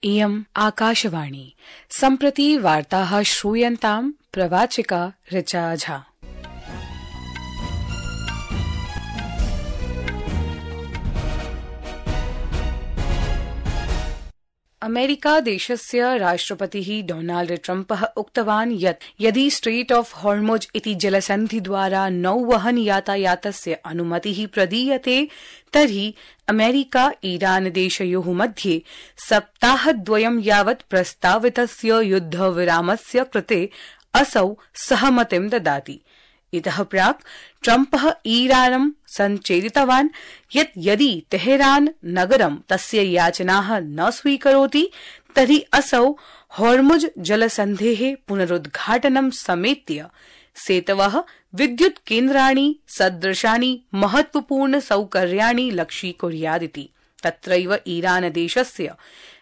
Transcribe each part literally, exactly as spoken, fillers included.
इयम् आकाशवाणी। सम्प्रति वार्ताः श्रूयन्ताम् प्रवाचिका ऋचा झा। अमेरिका देशस्य राष्ट्रपतिः डोनाल्ड ट्रम्पः उक्तवान् यत् यदि स्ट्रेट ऑफ हॉर्मुज़ इति जलसन्धिद्वारा नौवहन यातायातस्य अनुमतिः प्रदीयते तर्हि अमेरिका ईरान देशयोः मध्ये सप्ताहद्वयं यावत् प्रस्तावितस्य युद्धविरामस्य कृते असौ सहमतिं ददाति। इतः प्राक् ट्रम्पः ईरानं सञ्चेतितवान् यत् यदि तेहरान नगरं तस्य याचनाः न स्वीकरोति तर्हि असौ हॉर्मुज़ जलसन्धेः पुनरुद्घाटनं समेत्य सेतवः विद्युत् केन्द्राणि सदृशानि महत्वपूर्ण सौकर्याणि लक्ष्यीकुर्यादिति। तत्रैव ईरान देशस्य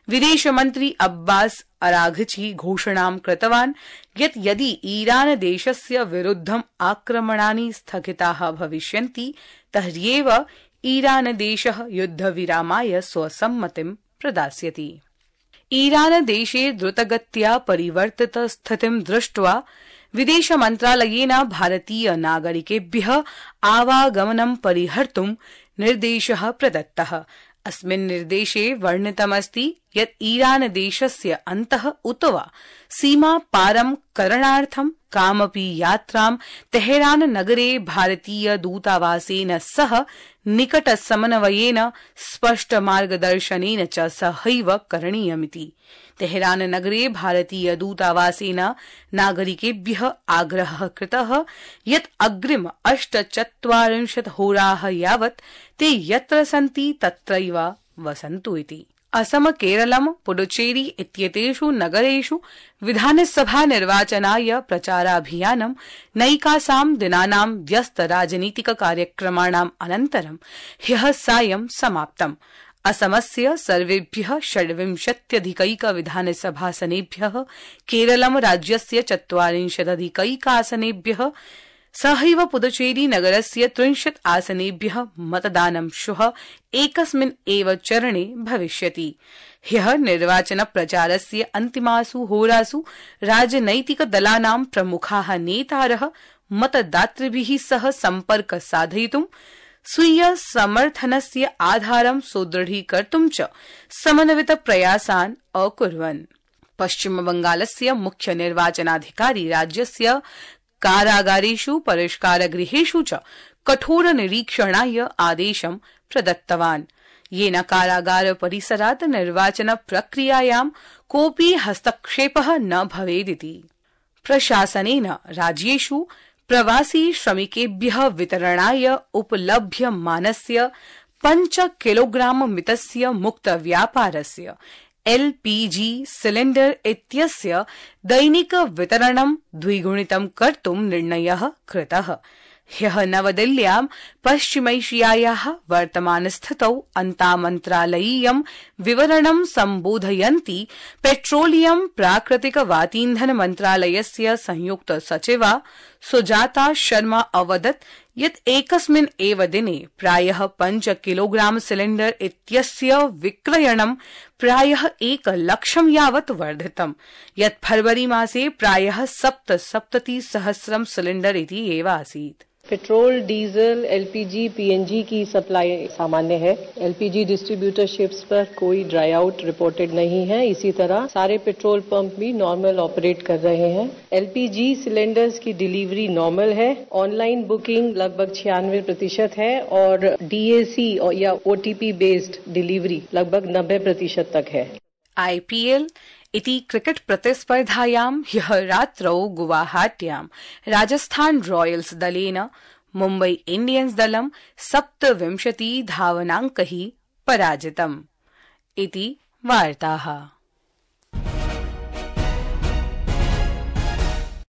विदेशमन्त्री अब्बास अराघची घोषणां कृतवान् यत् यदि ईरान देशस्य विरुद्धम् आक्रमणानि स्थगिताः भविष्यन्ति तर्ह्येव ईरान देशः युद्धविरामाय स्वसम्मतिं प्रदास्यति। ईरान देशे द्रुतगत्या परिवर्तित स्थितिं दृष्ट्वा विदेशमन्त्रालयेन भारतीय नागरिकेभ्यः आवागमनं परिहर्तुं निर्देशः प्रदत्तः। अस्मिन् निर्देशे वर्णितमस्ति यत् ईरान देशस्य अन्तः उत वा सीमा पारं करणार्थं कामपि यात्रां तेहरान नगरे भारतीय दूतावासेन सह निकटसमन्वयेन स्पष्ट मार्गदर्शनेन च सहैव करणीयमिति। तेहरान नगरे भारतीय दूतावासेन नागरिकेभ्यः आग्रहः कृतः यत् अग्रिम अष्टचत्वारिंशत् होराः यावत् ते यत्र सन्ति तत्रैव वसन्तु इति। असम केरलम पुडुचेरी इत्येतेषु नगरेषु विधानसभा निर्वाचनाय प्रचाराभियानं नैकासां दिनानां व्यस्त राजनीतिक कार्यक्रमाणाम् अनन्तरं ह्यः सायं समाप्तम्। असमस्य सर्वेभ्यः षड्विंशत्यधिकैक विधानसभासनेभ्यः केरलम राज्यस्य चत्वारिंशदधिकैकासनेभ्यः सहैव पुदुचेरी नगरस्य त्रिंशत् आसनेभ्यः मतदानं श्वः एकस्मिन् एव चरणे भविष्यति। ह्यः निर्वाचन प्रचारस्य अन्तिमासु होरासु राजनैतिक दलानां प्रमुखाः नेतारः मतदातृभिः सह सम्पर्क साधयितुं स्वीय समर्थनस्य आधारं सुदृढीकर्तुं च समन्वित प्रयासान् अकुर्वन्। पश्चिमबंगालस्य मुख्य निर्वाचनाधिकारी राज्यस्य कारागारेषु परिष्कारगृहेषु च कठोर निरीक्षणाय आदेशं प्रदत्तवान् येन कारागार परिसरात् निर्वाचन प्रक्रियायां कोऽपि हस्तक्षेपः न भवेदिति। प्रशासनेन राज्येषु प्रवासी श्रमिकेभ्यः वितरणाय उपलभ्यमानस्य पञ्च किलोग्राम मितस्य मुक्त व्यापारस्य एलपीजी सिलिण्डर इत्यस्य दैनिक वितरणं द्विगुणितं कर्तुं निर्णयः कृतः। ह्यः नवदिल्ल्यां पश्चिमैशियायाः वर्तमानस्थितौ अन्तामन्त्रालयीयं विवरणं सम्बोधयन्ती पेट्रोलियम प्राकृतिक वातीन्धन मन्त्रालयस्य संयुक्त सचिवा सुजाता शर्मा अवदत् यत् एकस्मिन् एव दिने प्रायः पञ्च किलोग्राम सिलिण्डर इत्यस्य विक्रयणं प्रायः एक लक्षं यावत् वर्धितम् यत् फरवरी मासे प्रायः सप्तसप्तति सहस्रं सिलिण्डर इति एव आसीत्। पेट्रोल, डीजल, एलपीजी, पीएनजी की सप्लाई सामान्य है। एलपीजी डिस्ट्रीब्यूटरशिप्स पर कोई ड्राई आउट रिपोर्टेड नहीं है। इसी तरह सारे पेट्रोल पंप भी नॉर्मल ऑपरेट कर रहे हैं। एलपीजी सिलेंडर्स की डिलीवरी नॉर्मल है। ऑनलाइन बुकिंग लगभग छियानवे प्रतिशत है और डीएसी या ओटीपी बेस्ड डिलीवरी लगभग नब्बे प्रतिशत तक है। आईपीएल इति क्रिकेट प्रतिस्पर्धायां ह्यः रात्रौ गुवाहाट्यां राजस्थान रॉयल्स दलेन मुम्बई इंडियन्स दलं सप्तविंशति धावनाङ्कैः पराजितम् इति वार्ताः।